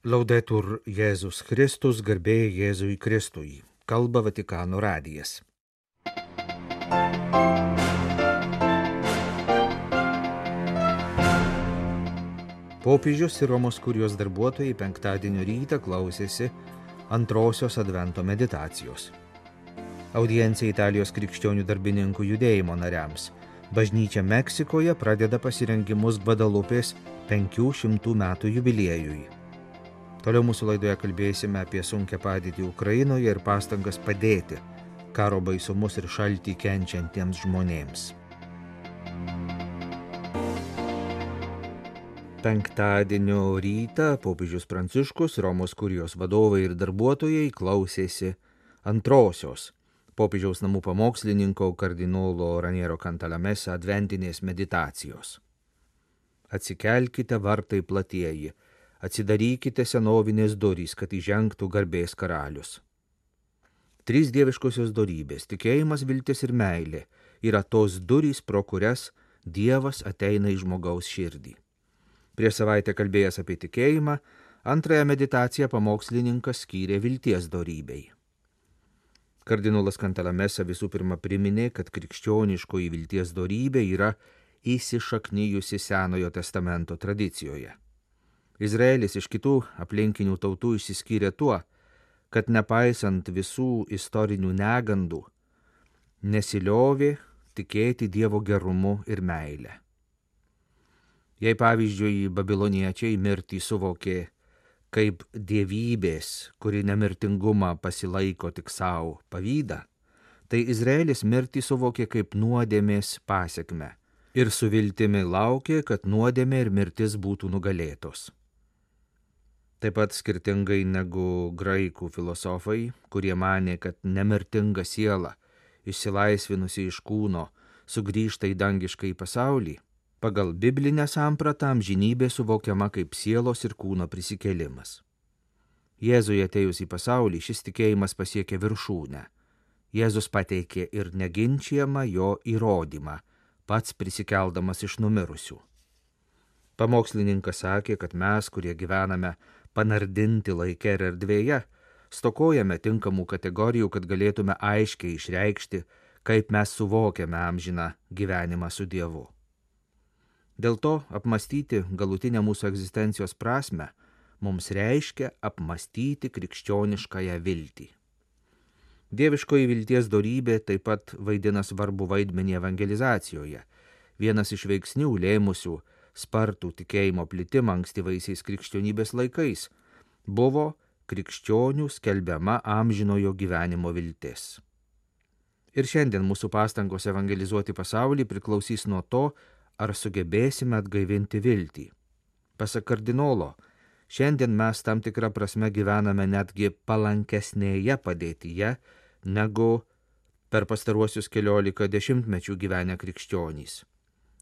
Laudetur Jėzus Kristus, garbė Jėzui Kristui. Kalba Vatikano radijas. Popiežius ir Romos kurijos darbuotojai penktadienio rytą klausėsi antrosios advento meditacijos. Audiencija Italijos krikščionių darbininkų judėjimo nariams. Bažnyčia Meksikoje pradeda pasirengimus Gvadalupės 500 metų jubiliejui. Toliau mūsų laidoje kalbėsime apie sunkią padėtį Ukrainoje ir pastangas padėti karo baisumus ir šaltį kenčiantiems žmonėms. Penktadienio rytą popiežius Pranciškus, Romos kurijos vadovai ir darbuotojai klausėsi antrosios popiežiaus namų pamokslininko kardinolo Raniero Cantalamessa adventinės meditacijos. Atsikelkite vartai platieji, atsidarykite senovinės durys, kad įžengtų garbės karalius. Trys dieviškosios dorybės – tikėjimas, viltis ir meilė – yra tos durys, pro kurias Dievas ateina į žmogaus širdį. Prieš savaitę kalbėjęs apie tikėjimą, antrąją meditaciją pamokslininkas skyrė vilties dorybei. Kardinolas Cantalamessa visų pirma priminė, kad krikščioniškoji vilties dorybė yra įsišaknijusi Senojo testamento tradicijoje. Izraelis iš kitų aplinkinių tautų išsiskyrė tuo, kad nepaisant visų istorinių negandų, nesiliovė tikėti Dievo gerumu ir meile. Jei pavyzdžiui babiloniečiai mirtį suvokė kaip dievybės, kuri nemirtingumą pasilaiko tik savo pavydą, tai Izraelis mirtį suvokė kaip nuodėmės pasekmę ir su viltimi laukė, kad nuodėmė ir mirtis būtų nugalėtos. Taip pat skirtingai negu graikų filosofai, kurie manė, kad nemirtinga siela, išsilaisvinusi iš kūno, sugrįžta į dangišką į pasaulį, pagal biblinę sampratą amžinybė suvokiama kaip sielos ir kūno prisikėlimas. Jėzui atėjus į pasaulį šis tikėjimas pasiekė viršūnę. Jėzus pateikė ir neginčiamą jo įrodymą, pats prisikeldamas iš numirusių. Pamokslininkas sakė, kad mes, kurie gyvename panardinti laike ir erdvėje, stokojame tinkamų kategorijų, kad galėtume aiškiai išreikšti, kaip mes suvokiame amžiną gyvenimą su Dievu. Dėl to apmastyti galutinę mūsų egzistencijos prasmę mums reiškia apmastyti krikščioniškąją viltį. Dieviškoji vilties dorybė taip pat vaidina svarbų vaidmenį evangelizacijoje. Vienas iš veiksnių lėmusių spartų tikėjimo plitimą ankstyvaisiais krikščionybės laikais buvo krikščionių skelbiama amžinojo gyvenimo viltis. Ir šiandien mūsų pastangos evangelizuoti pasaulį priklausys nuo to, ar sugebėsime atgaivinti viltį. Pasak kardinolo, šiandien mes tam tikrą prasme gyvename netgi palankesnėje padėtyje, negu per pastaruosius 14 dešimtmečių gyvenę krikščionys.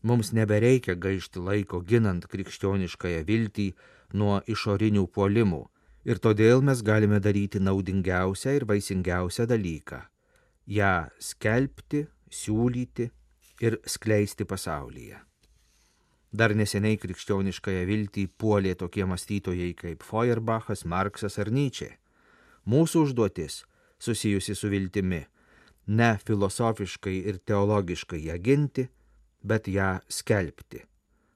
Mums nebereikia gaišti laiko ginant krikščioniškąją viltį nuo išorinių puolimų ir todėl mes galime daryti naudingiausią ir vaisingiausią dalyką – ją skelbti, siūlyti ir skleisti pasaulyje. Dar neseniai krikščioniškąją viltį puolė tokie mąstytojai kaip Feuerbachas, Marksas ar Nyčė. Mūsų užduotis, susijusi su viltimi, ne filosofiškai ir teologiškai ją ginti, bet ją skelbti,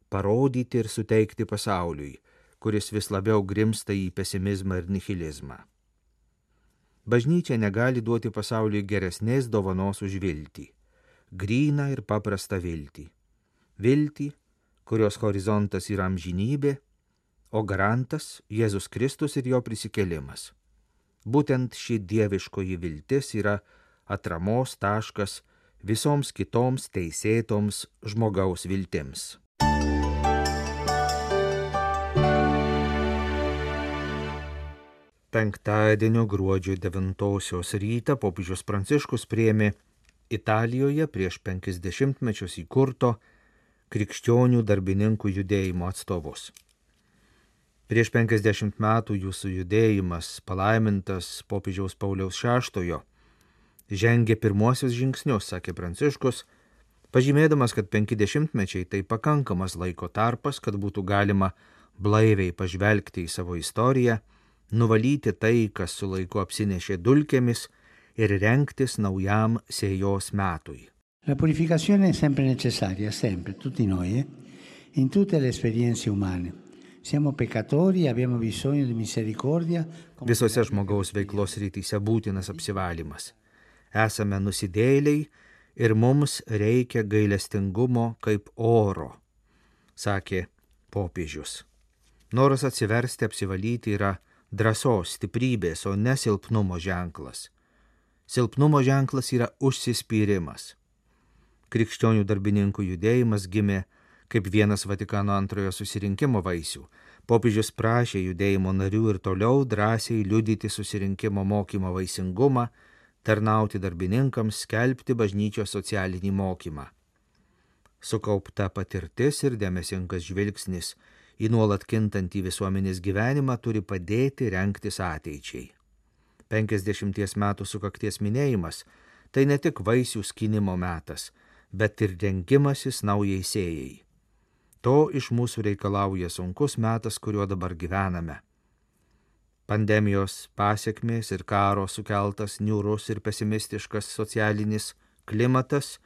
parodyti ir suteikti pasauliui, kuris vis labiau grimsta į pesimizmą ir nihilizmą. Bažnyčia negali duoti pasauliui geresnės dovanos už viltį, gryną ir paprastą viltį. Viltį, kurios horizontas yra amžinybė, o garantas Jėzus Kristus ir jo prisikėlimas. Būtent ši dieviškoji viltis yra atramos taškas visoms kitoms teisėtoms žmogaus viltims. Penktadienio gruodžio 9 rytą popiežius Pranciškus priėmė Italijoje prieš 50 mečius įkurto krikščionių darbininkų judėjimo atstovus. Prieš 50 metų jūsų judėjimas, palaimintas popiežiaus Pauliaus VI, žengė pirmuosius žingsnius, sakė Pranciškus, pažymėdamas, kad 50 mečiai tai pakankamas laiko tarpas, kad būtų galima blaiviai pažvelgti į savo istoriją, nuvalyti tai, kas su laiku apsinešė dulkėmis ir rengtis naujam sėjos metui. La purificazione è sempre necessaria, sempre, tutti noi, in tutte le esperienze umane. Siamo peccatori e abbiamo bisogno di misericordia. Visose žmogaus veiklos rytise būtinas apsivalymas. Esame nusidėjėliai ir mums reikia gailestingumo kaip oro, sakė popiežius. Noras atsiversti, apsivalyti yra drąsos, stiprybės, o ne silpnumo ženklas. Silpnumo ženklas yra užsispyrimas. Krikščionių darbininkų judėjimas gimė kaip vienas Vatikano antrojo susirinkimo vaisių. Popiežius prašė judėjimo narių ir toliau drąsiai liudyti susirinkimo mokymo vaisingumą, tarnauti darbininkams, skelbti bažnyčios socialinį mokymą. Sukaupta patirtis ir dėmesingas žvilgsnis į nuolat kintantį visuomenės gyvenimą turi padėti rengtis ateičiai. 50 metų sukakties minėjimas – tai ne tik vaisių skynimo metas, bet ir rengimasis naujai sėjai. To iš mūsų reikalauja sunkus metas, kuriuo dabar gyvename. Pandemijos pasekmės ir karo sukeltas niūrus ir pesimistiškas socialinis klimatas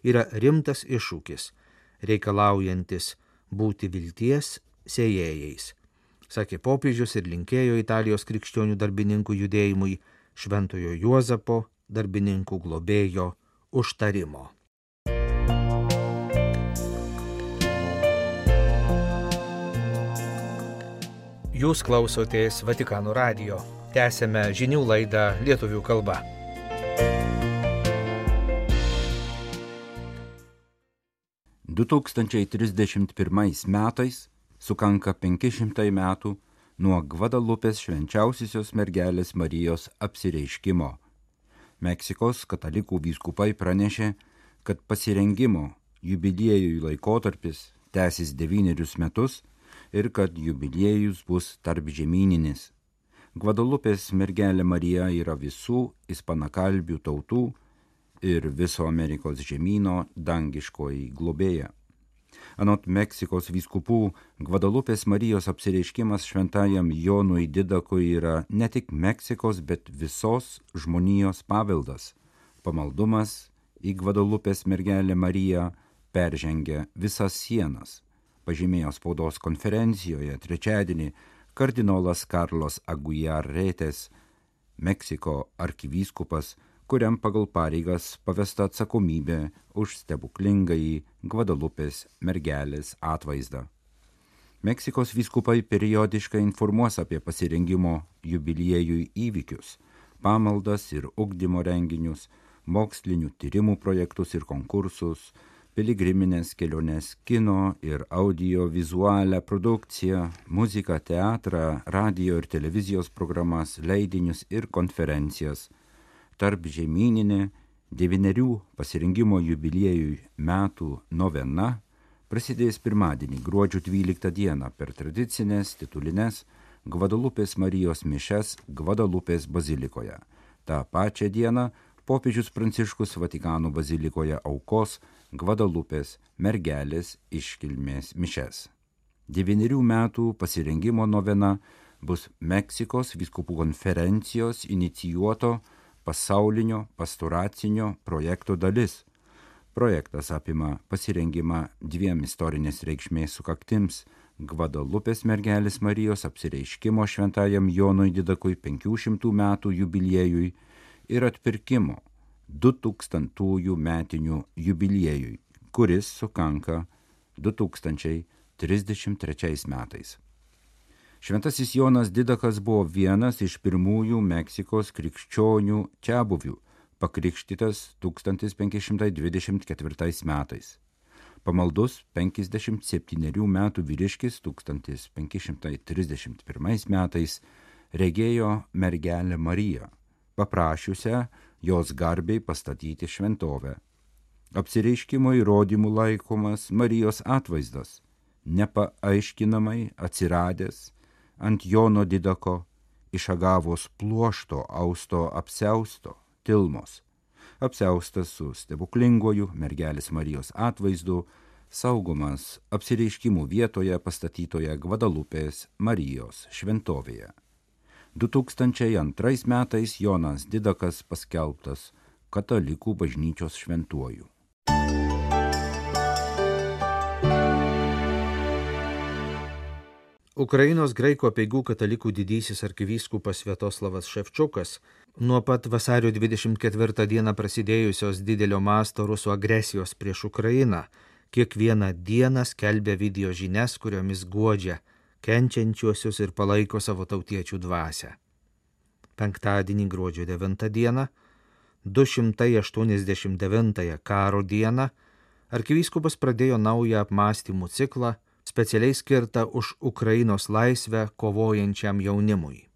yra rimtas iššūkis, reikalaujantis būti vilties sėjėjais, sakė popiežius ir linkėjo Italijos krikščionių darbininkų judėjimui Šventojo Juozapo darbininkų globėjo užtarimo. Jūs klausotės Vatikano radijo. Tęsėme žinių laidą lietuvių kalba. – 2031 metais sukanka 500 metų nuo Gvadalupės švenčiausiosios mergelės Marijos apsireiškimo. Meksikos katalikų vyskupai pranešė, kad pasirengimo jubiliejui laikotarpis tęsis 9 metus ir kad jubiliejus bus tarpžemyninis. Gvadalupės mergelė Marija yra visų ispanakalbių tautų ir viso Amerikos žemyno dangiškoji globėja. Anot Meksikos vyskupų, Gvadalupės Marijos apsireiškimas šventajam Jonui Didakui yra ne tik Meksikos, bet visos žmonijos paveldas. Pamaldumas į Gvadalupės mergelę Mariją peržengia visas sienas, pažymėjo spaudos konferencijoje trečiadienį kardinolas Carlos Aguiar Retes, Meksiko arkivyskupas, kuriam pagal pareigas pavesta atsakomybė už stebuklingąjį Gvadalupės mergelės atvaizdą. Meksikos vyskupai periodiškai informuos apie pasirengimo jubiliejui įvykius, pamaldas ir ugdymo renginius, mokslinių tyrimų projektus ir konkursus, piligriminės keliones, kino ir audio-vizualią produkciją, muziką, teatrą, radio ir televizijos programas, leidinius ir konferencijas. Tarp žemyninė 9 pasirengimo jubiliejui metų novena prasidės pirmadienį, gruodžio 12 dieną per tradicinės titulines Gvadalupės Marijos mišias Gvadalupės bazilikoje. Ta pačia diena popiežius Pranciškus Vatikano bazilikoje aukos Gvadalupės mergelės iškilmės mišias. 9 metų pasirengimo novena bus Meksikos vyskupų konferencijos inicijuoto pasaulinio pastoracinio projekto dalis. Projektas apima pasirengimą 2 istorinės reikšmės sukaktims Gvadalupės mergelės Marijos apsireiškimo šventajam Jonui Didakui 500 metų jubiliejui ir atpirkimo 2000 metinių jubiliejui, kuris sukanka 2033 metais. Šventasis Jonas Didakas buvo vienas iš pirmųjų Meksikos krikščionių čiabuvių, pakrikštytas 1524 metais. Pamaldus 57 metų vyriškis 1531 metais regėjo mergelę Mariją, paprašiusią jos garbiai pastatyti šventovę. Apsireiškimo įrodymų laikomas Marijos atvaizdas, nepaaiškinamai atsiradęs ant Jono Didako iš agavos pluošto austo apsiausto Tilmos, apsiaustas su stebuklingoju mergelės Marijos atvaizdu, saugomas apsireiškimų vietoje pastatytoje Gvadalupės Marijos šventovėje. 2002 metais Jonas Didakas paskelbtas katalikų bažnyčios šventuoju. Ukrainos graikų apeigų katalikų didysis arkivyskupas Sviatoslavas Ševčiukas nuo pat vasario 24 dieną prasidėjusios didelio masto rusų agresijos prieš Ukrainą kiekvieną dieną skelbia video žinias, kuriomis guodžia kenčiančiuosius ir palaiko savo tautiečių dvasią. Penktadienį gruodžio 9 dieną, 289 karo dieną, arkivyskupas pradėjo naują apmąstymų ciklą, specialiai skirtą už Ukrainos laisvę kovojančiam jaunimui.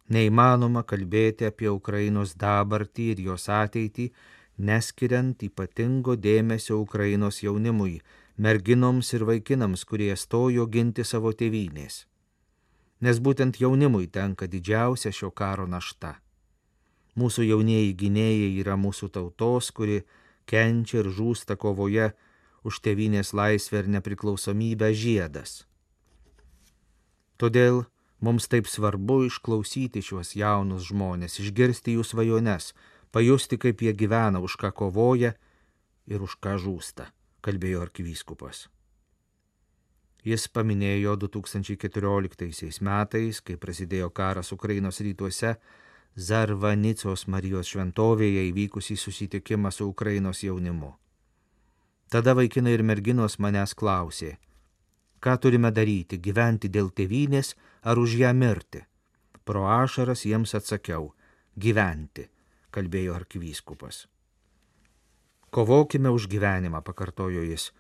Neįmanoma kalbėti apie Ukrainos dabartį ir jos ateitį, neskiriant ypatingo dėmesio Ukrainos jaunimui, merginoms ir vaikinams, kurie stojo ginti savo tėvynės. Nes būtent jaunimui tenka didžiausia šio karo našta. Mūsų jaunieji gynėjai yra mūsų tautos, kuri kenčia ir žūsta kovoje už tėvynės laisvę ir nepriklausomybę žiedas. Todėl mums taip svarbu išklausyti šiuos jaunus žmonės, išgirsti jų svajones, pajusti, kaip jie gyvena, už ką kovoja ir už ką žūsta, kalbėjo arkivyskupas. Jis paminėjo 2014 metais, kai prasidėjo karas Ukrainos rytuose, Zarvanicos Marijos šventovėje įvykusį susitikimą su Ukrainos jaunimu. Tada vaikinai ir merginos manęs klausė, ką turime daryti, gyventi dėl tėvynės ar už ją mirti. Pro ašaras jiems atsakiau, gyventi, kalbėjo arkivyskupas. Kovokime už gyvenimą, pakartojo jis,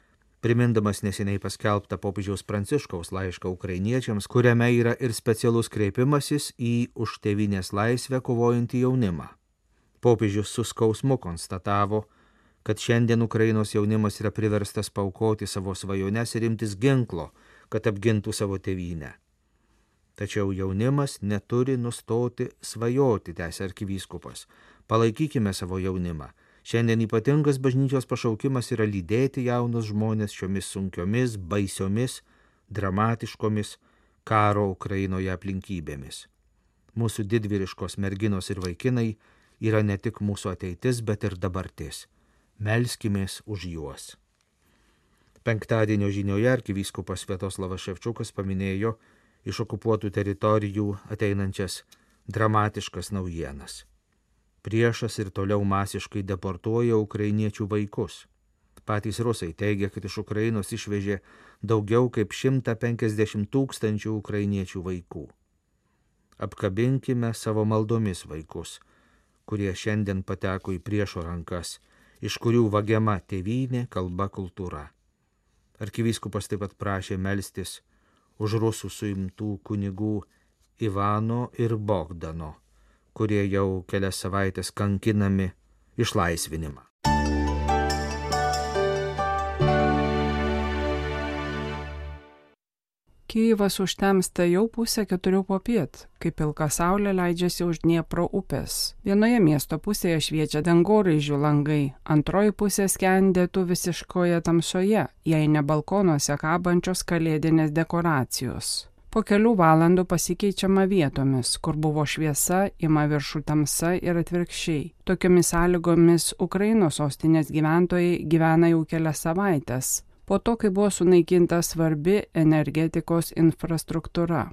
primindamas neseniai paskelbtą popiežiaus Pranciškaus laišką ukrainiečiams, kuriame yra ir specialus kreipimasis į už tėvynės laisvę kovojantį jaunimą. Popiežius su skausmu konstatavo, kad šiandien Ukrainos jaunimas yra priverstas paaukoti savo svajones ir imtis ginklo, kad apgintų savo tėvynę. Tačiau jaunimas neturi nustoti svajoti, tęsė arkivyskupas. Palaikykime savo jaunimą. Šiandien ypatingas bažnyčios pašaukimas yra lydėti jaunus žmonės šiomis sunkiomis, baisiomis, dramatiškomis karo Ukrainoje aplinkybėmis. Mūsų didvyriškos merginos ir vaikinai yra ne tik mūsų ateitis, bet ir dabartis. Melskimės už juos. Penktadienio žinioje arkivyskupas Sviatoslavas Ševčiukas paminėjo iš okupuotų teritorijų ateinančias dramatiškas naujienas. Priešas ir toliau masiškai deportuoja ukrainiečių vaikus. Patys rusai teigia, kad iš Ukrainos išvežė daugiau kaip 150 000 ukrainiečių vaikų. Apkabinkime savo maldomis vaikus, kurie šiandien pateko į priešo rankas, iš kurių vagiama tėvynė, kalba, kultūra. Arkivyskupas taip pat prašė melstis už rusų suimtų kunigų Ivano ir Bogdano, kurie jau kelias savaitės kankinami, išlaisvinimą. Kijevas užtemsta jau 3:30 popiet, kai pilka saulė leidžiasi už Dniepro upės. Vienoje miesto pusėje šviečia dangoraižių langai, antroji pusė skendėtų visiškoje tamsoje, jei ne balkonuose kabančios kalėdinės dekoracijos. Po kelių valandų pasikeičiama vietomis, kur buvo šviesa, ima viršų tamsa ir atvirkščiai. Tokiomis sąlygomis Ukrainos sostinės gyventojai gyvena jau kelias savaitės, po to, kai buvo sunaikinta svarbi energetikos infrastruktūra.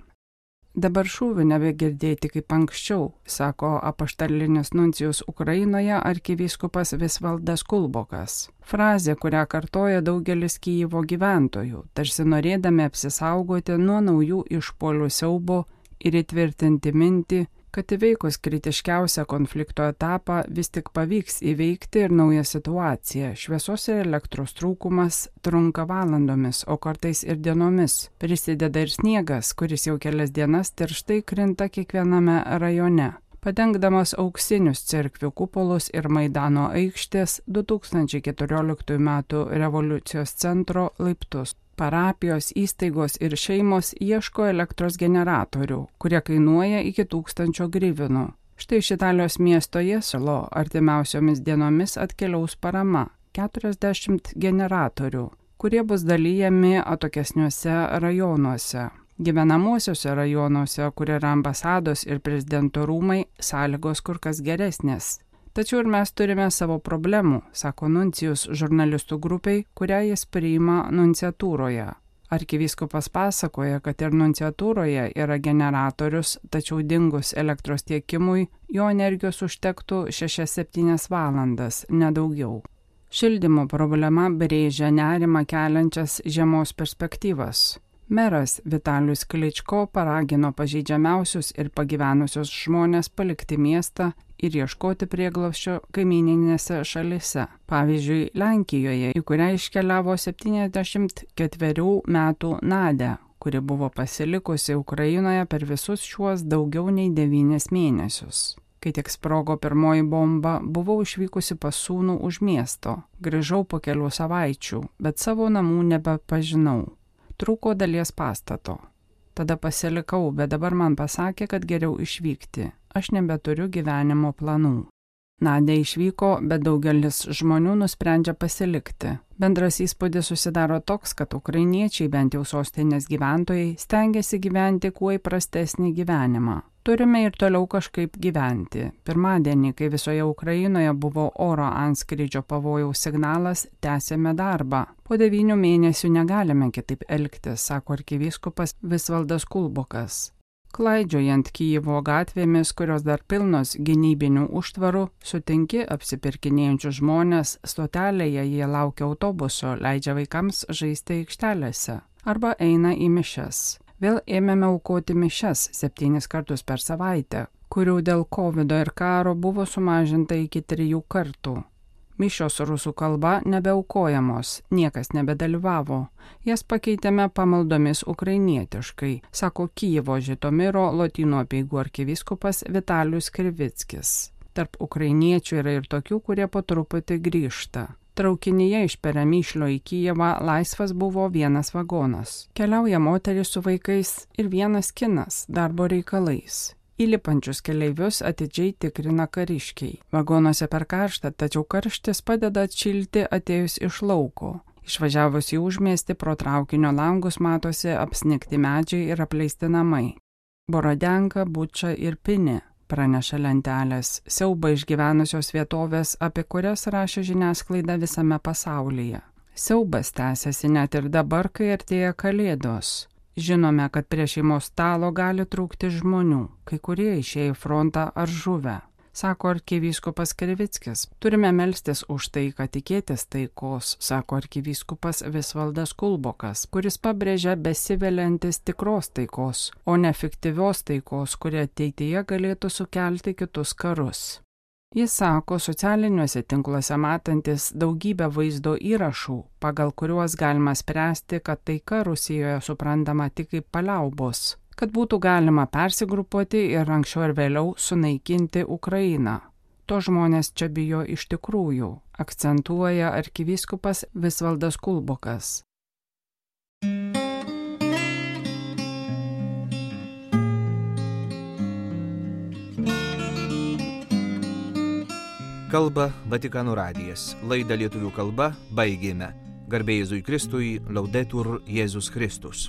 Dabar šūvių nebegirdėti kaip anksčiau, sako apaštalinis nuncijus Ukrainoje arkivyskupas Visvaldas Kulbokas. Frazė, kurią kartoja daugelis Kijevo gyventojų, tarsi norėdami apsisaugoti nuo naujų išpuolių siaubo ir įtvirtinti mintį, kad įveikus kritiškiausią konflikto etapą vis tik pavyks įveikti ir naują situaciją. Šviesos ir elektros trūkumas trunka valandomis, o kartais ir dienomis. Prisideda ir sniegas, kuris jau kelias dienas tirštai krinta kiekviename rajone, padengdamas auksinius cerkvių kupolus ir Maidano aikštės 2014 m. revoliucijos centro laiptus. Parapijos, įstaigos ir šeimos ieško elektros generatorių, kurie kainuoja iki 1000 hryvynų. Štai iš Italijos miesto Jesolo artimiausiomis dienomis atkeliaus parama – 40 generatorių. kurie bus dalyjami atokesniuose rajonuose. Gyvenamosiuose rajonuose, kur yra ambasados ir prezidento rūmai, sąlygos kur kas geresnės. Tačiau ir mes turime savo problemų, sako nuncijus žurnalistų grupiai, kurią jis priima nunciatūroje. Arkivyskupas pasakoja, kad ir nunciatūroje yra generatorius, tačiau dingus elektros tiekimui, jo energijos užtektų 6-7 valandas, nedaugiau. Šildymo problema brėžia nerimą keliančias žiemos perspektyvas. Meras Vitalijus Kličko paragino pažeidžiamiausius ir pagyvenusius žmonės palikti miestą ir ieškoti prieglobsčio kaimyninėse šalise. Pavyzdžiui, Lenkijoje, į kurią iškeliavo 74 metų Nadia, kuri buvo pasilikusi Ukrainoje per visus šiuos daugiau nei 9 mėnesius. Kai tik sprogo pirmoji bomba, buvau išvykusi pas sūnų už miesto. Grįžau po kelių savaičių, bet savo namų nebepažinau. Trūko dalies pastato. Tada pasilikau, bet dabar man pasakė, kad geriau išvykti. Aš nebeturiu gyvenimo planų. Nadia išvyko, bet daugelis žmonių nusprendžia pasilikti. Bendras įspūdis susidaro toks, kad ukrainiečiai, bent jau sostinės gyventojai, stengiasi gyventi kuo įprastesnį gyvenimą. Turime ir toliau kažkaip gyventi. Pirmadienį, kai visoje Ukrainoje buvo oro antskrydžio pavojaus signalas, tęsėme darbą. Po 9 mėnesių negalime kitaip elgtis, sako arkivyskupas Visvaldas Kulbokas. Klaidžiojant Kijevo gatvėmis, kurios dar pilnos gynybinių užtvarų, sutinki apsipirkinėjančius žmonės, stotelėje jie laukia autobuso, leidžia vaikams žaisti aikštelėse arba eina į mišias. Vėl ėmėme aukoti mišias 7 kartus per savaitę, kurių dėl COVID ir karo buvo sumažinta iki 3 kartų. Mišios rusų kalba nebeaukojamos, niekas nebedalyvavo. Jas pakeitėme pamaldomis ukrainietiškai, sako Kijevo Žitomiro Lotynų apeigų arkivyskupas Vitalijus Krivickis. Tarp ukrainiečių yra ir tokių, kurie po truputį grįžta. Traukinyje iš Peremyšlio į Kijevą laisvas buvo 1 vagonas. Keliauja moteris su vaikais ir 1 kinas darbo reikalais. Įlipančius keleivius atidžiai tikrina kariškiai. Vagonuose per karštą, tačiau karštis padeda atšilti atėjus iš lauko. Išvažiavus į užmiestį pro traukinio langus matosi apsnigti medžiai ir apleisti namai. Borodenka, Buča ir Pinė, praneša lentelės, siaubą išgyvenusios vietovės, apie kurias rašė žiniasklaida visame pasaulyje. Siaubas tęsiasi net ir dabar, kai artėja Kalėdos. Žinome, kad prie šeimos stalo gali trūkti žmonių, kai kurie išėjo į frontą ar žuvę, sako arkivyskupas Krivickis. Turime melstis už taiką, tikėtis taikos, sako arkivyskupas Visvaldas Kulbokas, kuris pabrėžia besiveliantis tikros taikos, o ne fiktyvios taikos, kuri ateityje galėtų sukelti kitus karus. Jis sako socialiniuose tinkluose matantis daugybę vaizdo įrašų, pagal kuriuos galima spręsti, kad taika Rusijoje suprantama tik kaip paliaubos, kad būtų galima persigrupuoti ir anksčiau ir vėliau sunaikinti Ukrainą. To žmonės čia bijo iš tikrųjų, akcentuoja arkivyskupas Visvaldas Kulbokas. Kalba Vatikano radijas. Laidą lietuvių kalba baigėme. Garbė Jėzui Kristui, Laudetur Jėzus Kristus.